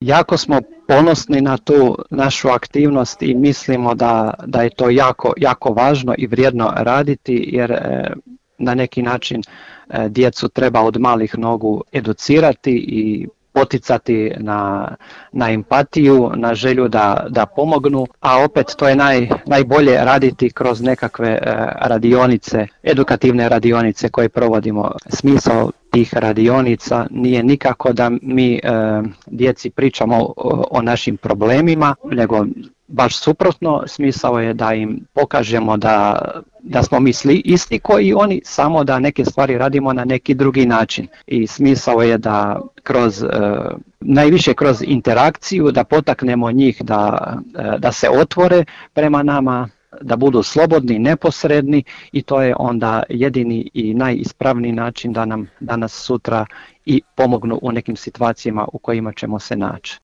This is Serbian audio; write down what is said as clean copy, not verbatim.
Jako smo ponosni na tu našu aktivnost i mislimo da je to jako važno i vrijedno raditi, jer na neki način djecu treba od malih nogu educirati i poticati na empatiju, na želju da pomognu, a opet to je najbolje raditi kroz nekakve radionice, edukativne radionice koje provodimo. Smisao tih radionica nije nikako da mi djeci pričamo o našim problemima, nego baš suprotno, smisao je da im pokažemo da smo mi isti koji oni, samo da neke stvari radimo na neki drugi način. I smisao je da najviše kroz interakciju, da potaknemo njih da se otvore prema nama, da budu slobodni, neposredni, i to je onda jedini i najispravniji način da nam danas sutra i pomognu u nekim situacijama u kojima ćemo se naći.